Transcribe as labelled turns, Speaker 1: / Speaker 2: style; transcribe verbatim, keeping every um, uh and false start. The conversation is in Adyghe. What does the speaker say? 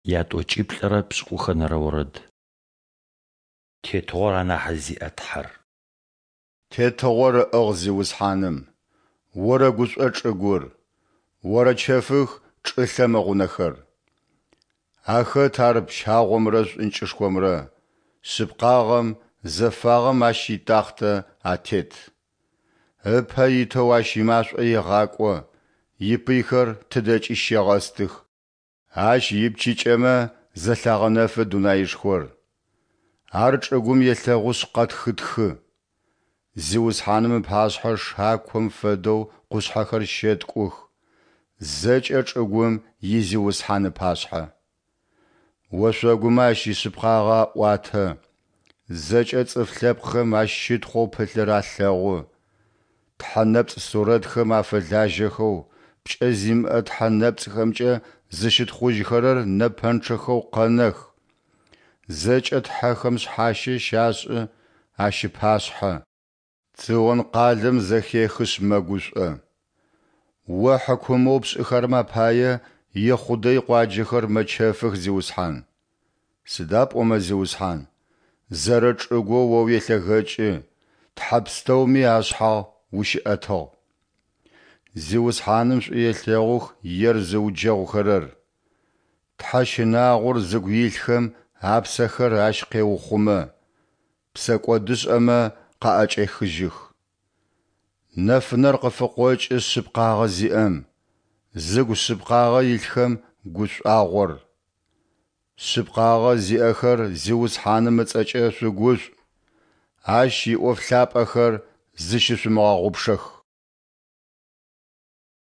Speaker 1: Ятӏокӏиплӏырэ пшӏыкӏухэнэрэ орэд. Тетыгъор анахь зиӏэ Тхьэр.
Speaker 2: Тетыгъор ыӏыгъ Зиусхьаным, орэгушӏо чӏыгур, орэчэфых чӏылъэм ыгъунэхэр. Ахэт Ар пщагъомрэ шӏункӏышхомрэ, шъыпкъагъэм, зэфагъэм Ащ итахътэ атет. Ыпэ итэу Ащ имашӏо егъакӏо, ипыйхэр тыдэкӏи щегъэстых. Ащ ипчыкӏэмэ зэлъагъэнэфы дунаишхор, Ар чӏыгум елъэгъушъ къэтхытхы. Зиусхьаным ыпашъхьэ шаком фэдэу къушъхьэхэр щэткӏух, зэкӏэ чӏыгум и Зиусхьан ыпашъхьэ. Ошъогумэ Ащ ишъыпкъагъэ аӏуатэ, зэкӏэ цӏыф лъэпкъхэм Ащ щытхъоу пылъыр алъэгъу. Тхьэ нэпцӏ сурэтхэм афэлажьэхэу, пкӏэ зимыӏэ тхьэ нэпцӏхэмкӏэ зыщытхъужьхэрэр нэпэнчъэхэу къэнэх. Зэкӏэ тхьэхэм шъхьащэ щашӏы Ащ ыпашъхьэ. Цион къалэм зэхехышъ мэгушӏо. О хьыкумэу пшӏыхэрэм апае Ехъудэ икъуаджэхэр мэчэфых, Зиусхьан. Сыда пӏомэ, Зиусхьан, зэрэчӏыгоу О уелъэгэкӏы, тхьэ пстэуми ашъхьагъ ущыӏэтыгъ. Зиусхьаным шӏу елъэгъух ер зыуджэгъухэрэр. Тхьэ щынагъор зыгу илъхэм апсэхэр Ащ къеухъумэ, псэкӏодышӏэмэ къаӏэкӏехыжьых. Нэфынэр къыфыкъокӏы шъыпкъагъэ зиӏэм, зыгу шъыпкъагъэ илъхэм гушӏуагъор. Шъыпкъагъэ зиӏэхэр Зиусхьаным ыцӏэкӏэ шъугушӏу, Ащ иӏоф лъапӏэхэр зыщышъумыгъэгъупшэх.